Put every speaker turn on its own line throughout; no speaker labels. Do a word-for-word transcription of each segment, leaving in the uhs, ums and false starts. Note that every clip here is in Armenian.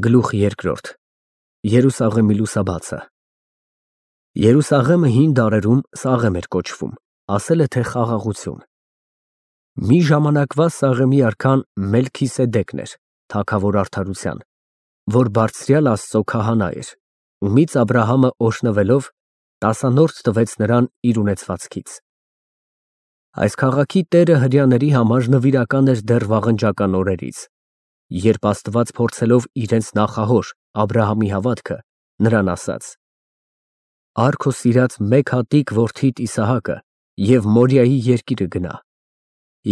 Գլուխ երկրորդ Երուսաղեմի լուսաբացը Երուսաղեմը հին դարերում Սաղեմ էր կոչվում, ասել է թե խաղաղություն։ Մի ժամանակվա Սաղեմի արքան Մելքիսեդեկն էր, թագավոր արդարության, որ բարձրյալ Աստծո քահանա էր, ումից Աբրահամը օրհնվելով տասանորդ տվեց նրան իր ունեցվածքից։ Այս քաղաքի տերը հրեաների համար նվիրական էր դեռ վաղնջական օրերից, երբ Աստված փորձելով իրենց նախահոր Աբրահամի հավատքը, նրան ասաց. «Առ քո սիրած մեկ հատիկ որդիդ Իսահակը և Մորիայի երկիրը գնա,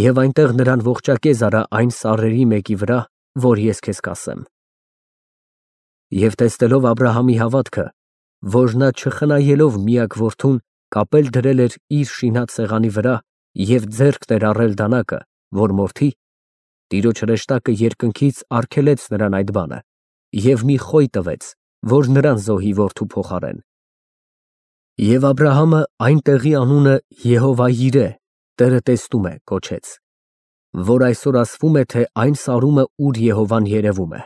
և այնտեղ նրան ողջակեզ արա այն սարերի մեկի վրա, որ ես քեզ կասեմ»։ Եվ տեսնելով Աբրահամի հավատքը, որ նա չխնայելով միակ որդուն կապել դրել էր իր շինած սեղանի վրա և ձեռքտ էր առել դանակը, որ մորթի, Տիրոջ հրեշտակը երկնքից արգելեց նրան այդ բանը և մի խոյ տվեց, որ նրան զոհի որդու փոխարեն։ Եվ Աբրահամը այն տեղի անունը Եհովա֊Յիրեհ (Տերը տեսնում է) կոչեց, որ այսօր ասվում է, թե այն սարումը, ուր Եհովան երևում է։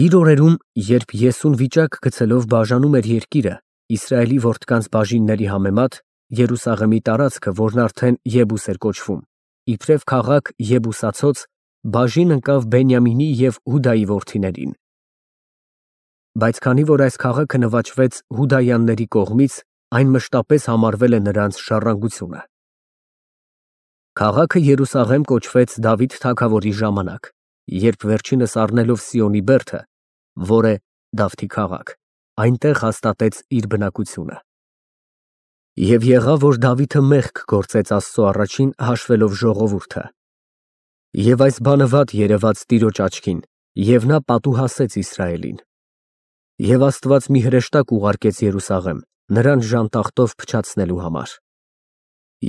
Իր օրերում, երբ Եսուն վիճակ գցելով բաժանում էր երկիրը Իսրայելի որդկանց բաժինների համեմատ, Երուսաղեմի տարածքը, որն արդեն Եբուս էր կոչվում, իբրև քաղաք Եբուսացած, բաժին ընկավ Բենյամինի և Հուդայի որդիներին։ Բայց քանի որ այս քաղաքը նվաճվեց հուդայանների կողմից, այն մշտապես համարվել է նրանց ժառանգությունը։ Քաղաքը Երուսաղեմ կոչվեց Դավիթ թագավորի ժամանակ, երբ վերջինս առնելով Սիոնի բերդը, որ է Դավթի քաղաք, այնտեղ հաստատեց իր բնակությունը։ Եվ եղավ, որ Դավիթը մեղք գործեց Աստծո առաջին հաշվելով ժողովուրդը։ Եվ այս բանը վատ երևաց Տիրոջ աչքին, և նա պատուհասեց Իսրայելին։ Եվ Աստված մի հրեշտակ ուղարկեց Երուսաղեմ, նրան ժանտախտով փչացնելու համար։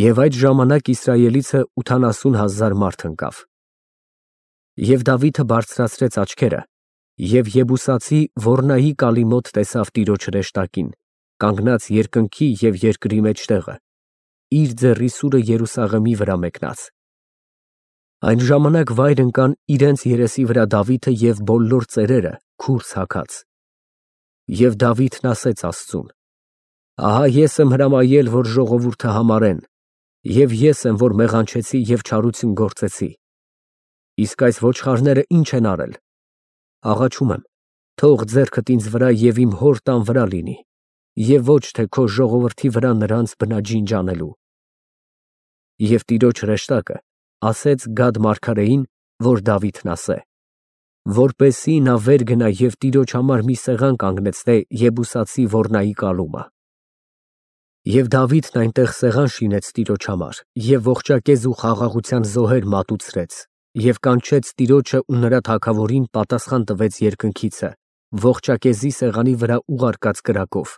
Եվ այդ ժամանակ Իսրայելիցը ութանասուն հազար մարդ ընկավ։ Եվ Դավիթը բարձրացրեց աչքերը, և Եբուսացի Ոռնայի կալի մոտ տեսավ Տիրոջ հրեշտակին, կանգնած երկնքի և երկրի մեջտեղը, իր ձեռի սուրը Երուսաղեմի վրա մեկնած։ Այն ժամանակ վայր ընկան իրենց երեսի վրա Դավիթը և բոլոր ծերերը քուրձ հագած։ Եվ Դավիթն ասեց Աստծուն. «Ահա ես եմ հրամայել, որ ժողովուրդը համարեն, և ես եմ, որ մեղանչեցի և չարություն գործեցի։ Իսկ այս ոչխարները ի՞նչ են արել։ Աղաչում եմ, թող ձեռքդ ինձ վրա և իմ հոր տան վրա լինի, և ոչ թե քո ժողովրդի վրա նրանց բնաջինջ անելու»։ Եվ Տիրոջ հրեշտակը ասեց Գադ մարգարեին, որ Դավիթն ասե, որպեսզի նա վեր գնա և Տիրոջ համար մի սեղան կանգնեցնե Եբուսացի Ոռնայի կալումը։ Եվ Դավիթն այնտեղ սեղան շինեց Տիրոջ համար և ողջակեզ ու խաղաղության զոհեր մատուցրեց և կանչեց Տիրոջը ու նրա թագավորին պատասխան տվեց երկնքիցը ողջակեզի սեղանի վրա ուղարկած կրակով։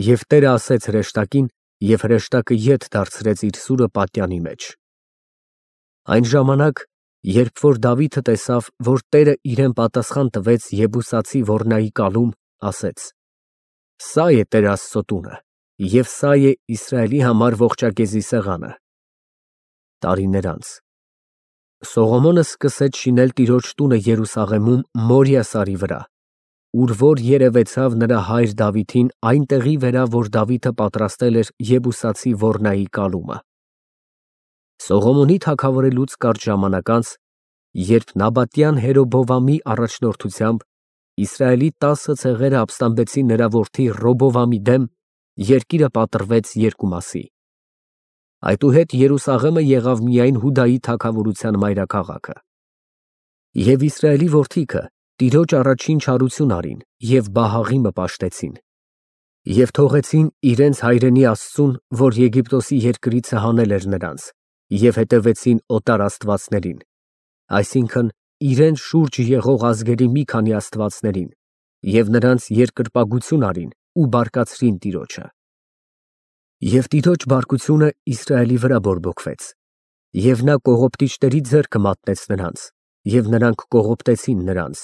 Եվ Տերը ասեց հրեշտակին, և հրեշտակը ետ դարձրեց իր սուրը պատյանի մեջ։ Այն ժամանակ, երբ որ Դավիթը տեսավ, որ Տերը իրեն պատասխան տվեց Եբուսացի Ոռնայի կալում, ասեց. «Սա է Տեր Աստծո տունը, և սա է Իսրայելի համար ողջակեզի սեղանը»։ Տարիներ անց Սողոմոնը սկսեց շինել Տիրոջ տունը Երուսաղեմում Մորիա սարի վրա, ուր որ երևեցավ նրա հայր Դավիթին այն տեղի վրա, որ Դավիթը պատրաստել էր Եբուսացի Ոռնայի կալումը։ Սողոմոնի թագավորելուց կարճ ժամանակ անց, երբ Նաբատյան Հերոբովամի առաջնորդությամբ Իսրայելի տասը ցեղերը ապստամբեցին նրա որդի Ռոբովամի դեմ, երկիրը պատռվեց երկու մասի։ Այդուհետ Երուսաղեմը եղավ միայն Հուդայի թագավորության մայրաքաղաքը։ Եվ Իսրայելի որդիքը Տիրոջ առաջին չարություն արին և Բահաղիմը պաշտեցին, և թողեցին իրենց հայրենի Աստծուն, որ Եգիպտոսի երկրիցը հանել էր նրանց, և հետևեցին օտար աստվածներին, այսինքն՝ իրենց շուրջ եղող ազգերի մի քանի աստվածներին, և նրանց երկրպագություն արին ու բարկացրին Տիրոջը։ Եվ Տիրոջ բարկությունը Իսրայելի վրա բորբոքվեց, և նա կողոպտիչների ձեռքը մատնեց նրանց, և նրանք կողոպտեցին նրանց,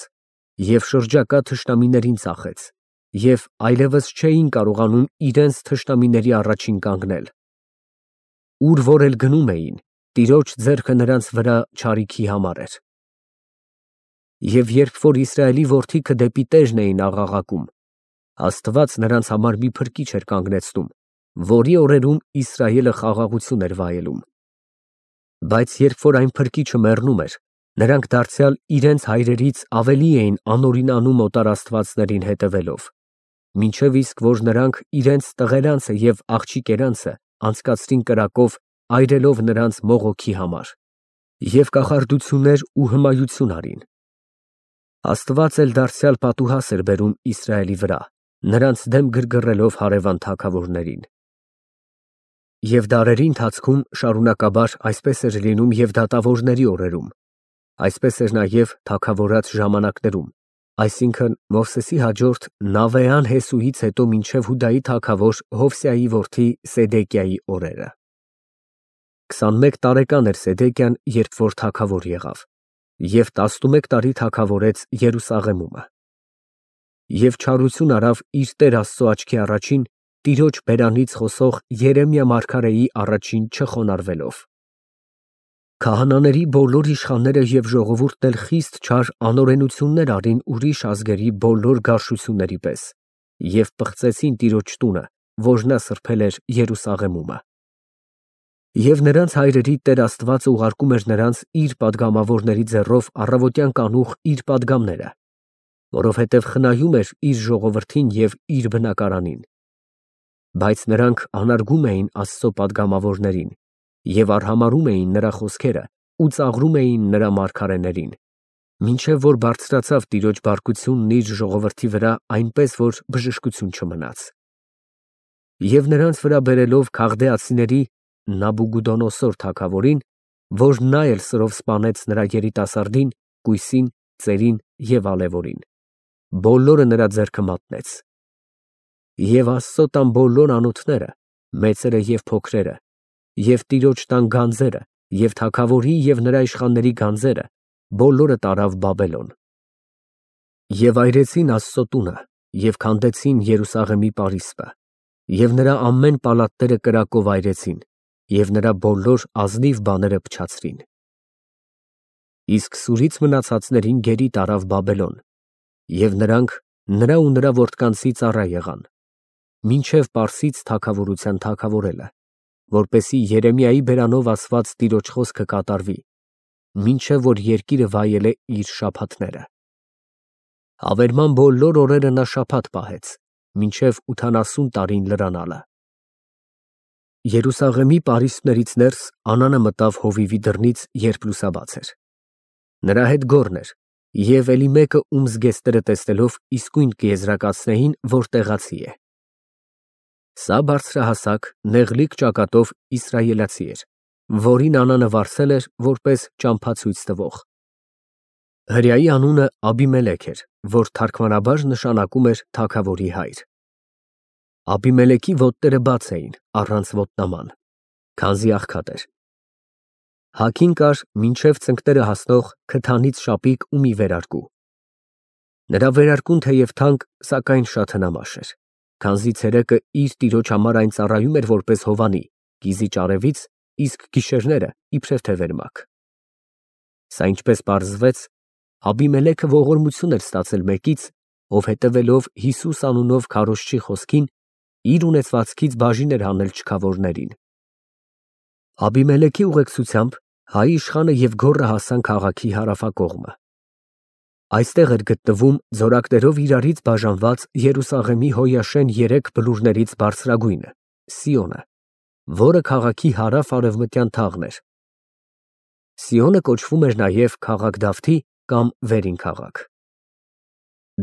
և շրջակա թշնամիներին ծախեց, և այլևս չէին կարողանում իրենց թշնամիների առաջին կանգնել։ Ուր որ էլ գնում էին, Տիրոջ ձեռքը նրանց վրա չարիքի համար էր։ Եվ երբ որ Իսրայելի որդիքը դեպի Տերն էին աղաղակում, Աստված նրանց համար մի փրկիչ էր կանգնեցնում, որի օրերում Իսրայելը խաղաղություն էր վայելում։ Բայց երբ որ այն փրկիչը մեռնում էր, նրանք դարձյալ իրենց հայրերից ավելի էին անօրինանում օտար աստվածներին հետևելով, մինչև իսկ որ նրանք իրենց տղերանցը և աղջիկերանցը անցկացրին կրակով, այրելով նրանց մողոքի համար, և կախարդություններ ու հմայություն արին։ Աստված էլ դարձյալ պատուհաս էր բերում Իսրայելի վրա, նրանց դեմ գրգռելով հարևան թագավորներին։ Եվ դարերի ընթացքում շարունակաբար այսպես էր լինում և դատավորների օրերում, այսպես էր նաև թագավորած ժամանակներում, այսինքն Մովսեսի հաջորդ Նավեան Հեսուից հետո մինչև Հուդայի թագավոր Հովսեայի որդի Սեդեկիայի օրերը։ Քսանմեկ տարեկան էր Սեդեկիան, երբ որ թագավոր եղավ, և տասնումեկ տարի թագավորեց Երուսաղեմում։ Եվ չարություն արավ իր Տեր Աստծու աչքի առաջին Տիրոջ բերանից խոսող Երեմիա մարգարեի առաջին չխոնարհվելով։ Քահանաների բոլոր իշխանները և ժողովուրդն էլ խիստ չար անօրենություններ արին ուրիշ ազգերի բոլոր գարշությունների պես և պղծեցին Տիրոջ տունը, որ նա սրբել էր Երուսաղեմում։ Եվ նրանց հայրերի Տեր Աստվածը ուղարկում էր նրանց իր պատգամավորների ձեռով առավոտյան կանուխ իր պատգամները, որովհետև խնայում էր իր ժողովրդին և իր բնակարանին։ Բայց նրանք անարգում էին Աստծո պատգամավորներին և արհամարհում էին նրա խոսքերը ու ծաղրում էին նրա մարգարեներին, մինչև որ բարձրացավ Տիրոջ բարկությունն իր ժողովրդի վրա այնպես, որ բժշկություն չմնաց։ Եվ նրանց վրա բերելով Քաղդեացիների Նաբուգուդոնոսոր թագավորին, որ նա էլ սրով սպանեց նրա երիտասարդին, կույսին, ծերին և ալևորին, բոլորը նրա ձեռքը մատնեց։ Եվ Աստծո տան բոլոր անոթները, մեծերը և փոքրերը, և Տիրոջ տան գանձերը, և թագավորի և նրա իշխանների գանձերը, բոլորը տարավ Բաբելոն։ Եվ այրեցին Աստծո տունը և քանդեցին Երուսաղեմի պարիսպը, և նրա ամեն պալատները կրակով այրեցին, և նրա բոլոր ազնիվ բաները փչացրին։ Իսկ սուրից մնացածներին գերի տարավ Բաբելոն, և նրանք նրա ու նրա որդկանցի ծառա եղան, մինչև Պարսից թագավորության թագավորելը, որպեսզի Երեմիայի բերանով ասված Տիրոջ խոսքը կատարվի, մինչև որ երկիրը վայելե իր շաբաթները։ Հավերման բոլոր օրերը նա շաբաթ պահեց, մինչև ութանասուն տարին լրանալը։ Երուսաղեմի պարիսպներից ներս Անանը մտավ հովիվի դռնից, երբ լուսաբաց էր։ Նրա հետ գոռն էր, և էլի մեկը, ում զգեստները տեսնելով իսկույն կեզրակացնեին, որ տեղացի է։ Սա բարձրահասակ, նեղլիկ ճակատով իսրայելացի էր, որին Անանը վարձել էր որպես ճամփացույց տվող։ Հրեայի անունը Աբիմելեք էր, որ թարգմանաբար նշանակում էր թագավորի հայր։ Աբիմելեքի ոտները բաց էին, առանց ոտնաման, քանզի աղքատ էր։ Հագին կար մինչև ծնկները հասնող քթանից շապիկ ու մի վերարկու։ Նրա վերարկուն թեև թանկ, սակայն շատ հնամաշ էր, քանզի ցերեկը իր տիրոջ համար այն ծառայում էր որպես հովանի, կիզի ճարևից, իսկ գիշերները իբրև թե վերմակ։ Սա ինչպես պարզվեց, Աբիմելեքը ողորմություն էր ստացել մեկից, ով հետևելով Հիսուս անունով քարոզչի խոսքին, իր ունեցվածքից բաժին էր հանել չքավորներին։ Աբիմելեքի ուղեկցությամբ հայ իշխանը և գոռը հասան քաղաքի հարավակողմը։ Այստեղ էր գտնվում ձորակներով իրարից բաժանված Երուսաղեմի հոյաշեն երեք բլուրներից բարձրագույնը՝ Սիոնը, որը քաղաքի հարավ֊արևմտյան թաղն էր։ Սիոնը կոչվում էր նաև քաղաք Դավթի կամ վերին քաղաք։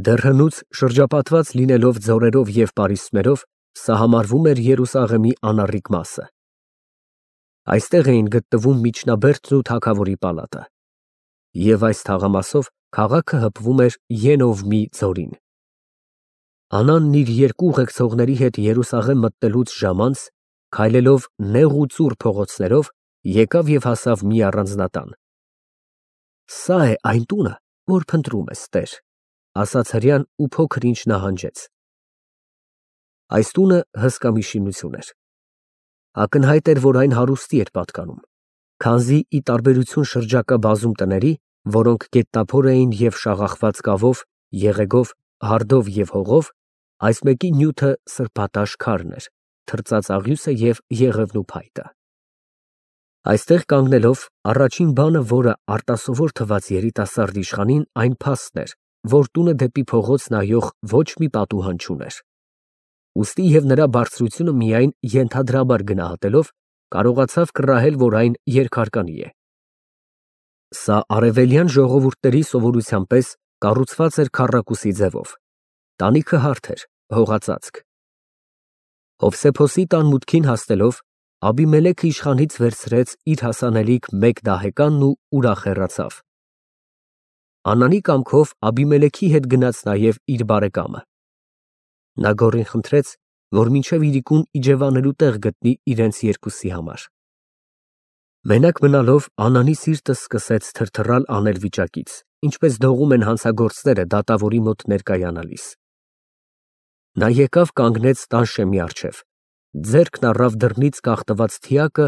Դեռ հնուց շրջապատված լինելով ձորերով և պարիսպներով, սա համարվում էր Երուսաղեմի անառիկ մասը։ Այստեղ էին գտնվում միջնաբերդն ու թագավորի պալատը։ Եվ այս թաղամասով քաղաքը հպվում էր Ենովմի ձորին։ Անանն իր երկու ուղեկցողների հետ Երուսաղեմ մտնելուց ժամ անց, քայլելով նեղ ու ծուռ փողոցներով, եկավ և հասավ մի առանձնատան։ «Սա է այն տունը, որ փնտրում ես, Տեր», ֊ ասաց հրեան ու փոքր ինչ նահանջեց։ Այս տունը հսկա մի շինություն էր։ Ակնհայտ էր, որ այն հարուստի էր պատկանում, քանզի ի տարբերություն շրջակա բազում տների, որոնք գետնափոր էին և շաղախված կավով, եղեգով, հարդով և հողով, այս մեկի նյութը սրբատաշ քարն էր, թրծած աղյուսը և եղևնու փայտը։ Այստեղ կանգնելով, առաջին բանը, որը արտասովոր թվաց երիտասարդ իշխանին, այն փաստն էր, որ տունը դեպի փողոց նայող ոչ մի պատուհան չուներ։ Ուստի և նրա բարձրությունը միայն ենթադրաբար գնահատելով, կարողացավ կռահել, որ այն երկհարկանի է։ Սա արևելյան ժողովուրդների սովորության պես կառուցված էր քառակուսի ձևով, տանիքը հարթ էր, հողածածկ։ Հովսեփոսի տան մուտքին հասնելով, Աբիմելեքը իշխանից վերցրեց իր հասանելիք մեկ դահեկանն ու ուրախ հեռացավ։ Անանի կամքով Աբիմելեքի հետ գնաց նաև իր բարեկամը։ Նա գոռին խնդրեց, որ մինչև իրիկուն իջևանելու տեղ գտնի իրենց երկուսի համար։ Մենակ մնալով Անանի սիրտը սկսեց թրթռալ աներվիճակից, ինչպես դողում են հանցագործները դատավորի մոտ ներկայանալիս։ Նա եկավ կանգնեց տան շեմի առջև, ձեռքն առավ դռնից կախտված թիակը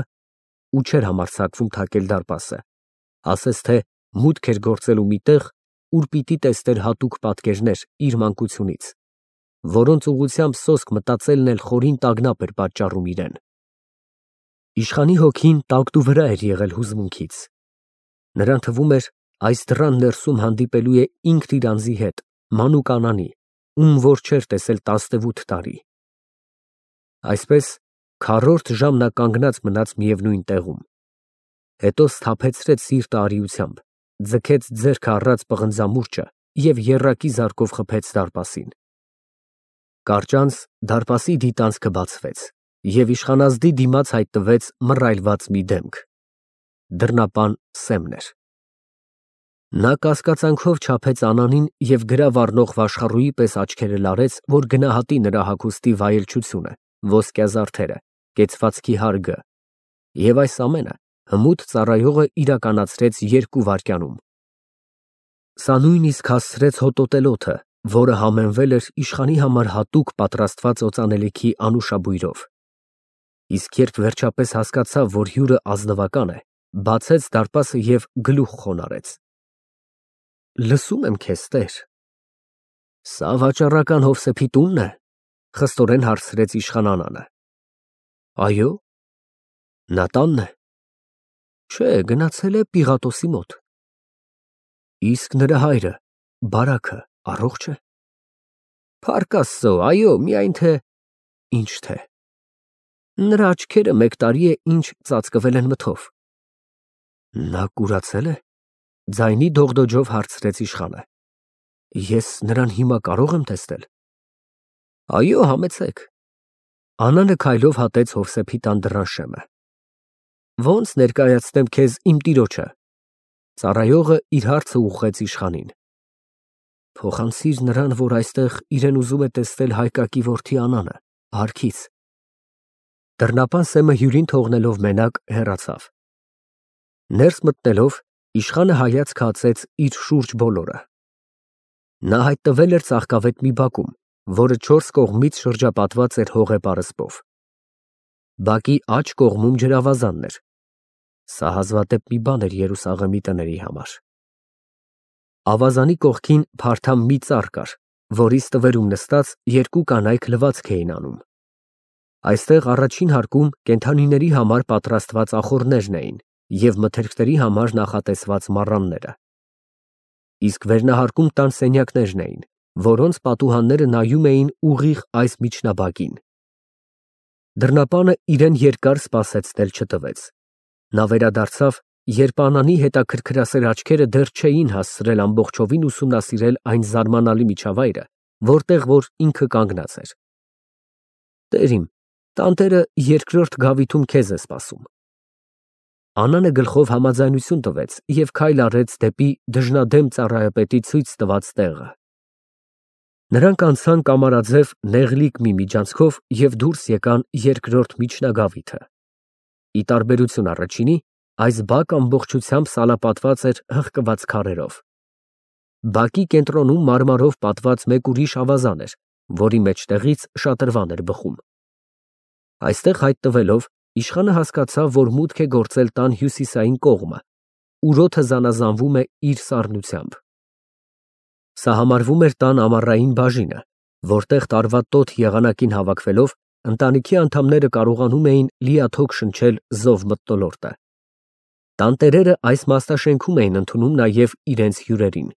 ու չէր համարձակվում թակել դարպասը, ասես թե մուտք էր գործելու մի տեղ, ուր պիտի տեսներ հատուկ պատկերներ իր մանկությունից, որոնց ուղղությամբ սոսկ մտածելն էլ խորին տագնապ էր պատճառում իրեն։ Իշխանի հոգին տակտուվրա էր եղել հուզմունքից։ Նրան թվում էր, այս դռան ներսում հանդիպելու է ինքն իր անձի հետ, մանուկ Անանի, ում որ չէր տեսել տասնևութ տարի։ Այսպես քառորդ ժամ նա կանգնած մնաց միևնույն տեղում, հետո սթափեցրեց սիրտը արիությամբ, ձգեց ձեռքը առած պղնձամուրճը և եռակի զարկով խփեց դարպասին։ Կարճ անց դարպասի դիտանցքը բացվեց, և իշխանազդի դիմաց հայտնվեց մռայլված մի դեմք։ Դռնապան Սեմն էր։ Նա կասկածանքով չափեց Անանին և գրավ առնող վաշխառուի պես աչքերը լարեց, որ գնահատի նրա հագուստի վայելչությունը, ոսկյա զարդերը, կեցվածքի հարգը, և այս ամենը հմուտ ծառայողը իրականացրեց երկու վայրկյանում։ Սա նույնիսկ հասցրեց հոտոտել օդը, որը համեմվել էր իշխանի համար հատուկ պատրաստված օծանելիքի անուշաբույրով։ Իսկ երբ վերջապես հասկացավ, որ հյուրը ազնվական է, բացեց դարպասը և գլուխ խոնարհեց։ Լսում եմ քեզ, տեր։ Սա վաճառական Հովսեփի տունն է, խստորեն հարցրեց իշխան Անանը։ Այո։ Նա տանն է։ Չէ, գնացել է Պիղատոսի մոտ։ Իսկ նրա հայրը, բարաքը, առողջ է։ Փառք Աստծո, այո, միայն թե… Ինչ թե։ Նրա աչքերը մեկ տարի է ինչ ծածկվել են մթով։ Նա կուրացե՞լ է։ Ձայնի դողդոջով հարցրեց իշխանը։ Ես նրան հիմա կարո՞ղ եմ տեսնել։ Այո, համեցեք։ Անանը քայլով հատեց Հովսեփի տան դռան շեմը։ Ո՞նց ներկայացնեմ քեզ իմ տիրոջը։ Ծառայողը իր հարցը ուղղեց իշխանին։ Փոխանցիր նրան, որ այստեղ իրեն ուզում է տեսնել հայկակի որդի Անանը, հարքից։ Դռնապան Սեմը հյուրին թողնելով մենակ հեռացավ։ Ներս մտնելով իշխանը հայացք հացեց իր շուրջ բոլորը։ Նա հայտնվել էր ծաղկավետ մի բակում, որը չորս կողմից շրջապատված էր հողե պարսպով։ Բակի աջ կողմում ջրավազանն էր։ Սա հազվադեպ մի բան էր Երուսաղեմի տների համար։ Ավազանի կողքին փարթամ մի ծառ կար, որի ստվերում նստած երկու կանայք լվացք էին անում։ Այստեղ առաջին հարկում կենդանիների համար պատրաստված ախոռներն էին և մթերքների համար նախատեսված մառանները։ Իսկ վերնահարկում տան սենյակներն էին, որոնց պատուհանները նայում էին ուղիղ այս միջնաբակին։ Դռնապանը իրեն երկար սպասեցնել չտվեց։ Նա վերադարձավ, երբ Անանի հետաքրքրասեր աչքերը դեռ չէին հասցրել ամբողջովին ուսումնասիրել այն զարմանալի միջավայրը, որտեղ որ ինքը կանգնած էր։ Տեր իմ, տանտերը երկրորդ գավիթում քեզ է սպասում։ Անանը գլխով համաձայնություն տվեց և քայլ արեց դեպի դժնադեմ ծառայապետի ցույց տված տեղը։ Նրանք անցան կամարաձև նեղլիկ մի միջանցքով և դուրս եկան երկրորդ միջնագավիթը։ Ի տարբերություն առաջինի, այս բակը ամբողջությամբ սալապատված էր հղկված քարերով։ Բակի կենտրոնում մարմարով պատված մեկ ուրիշ ավազան էր, որի մեջտեղից շատրվան էր բխում։ Այստեղ հայտնվելով, իշխանը հասկացավ, որ մուտք է գործել տան հյուսիսային կողմը, ուրոթը զանազանվում է իր սառնությամբ։ Սա համարվում էր տան ամառային բաժինը, որտեղ տարվա տոթ եղանակին հավաքվելով ընտանիքի անդամները կարողանում էին լիաթոք շնչել զով մթնոլորտը։ Տանտերերը այս մասնաշենքում էին ընդունում նաև իրենց հյուրերին։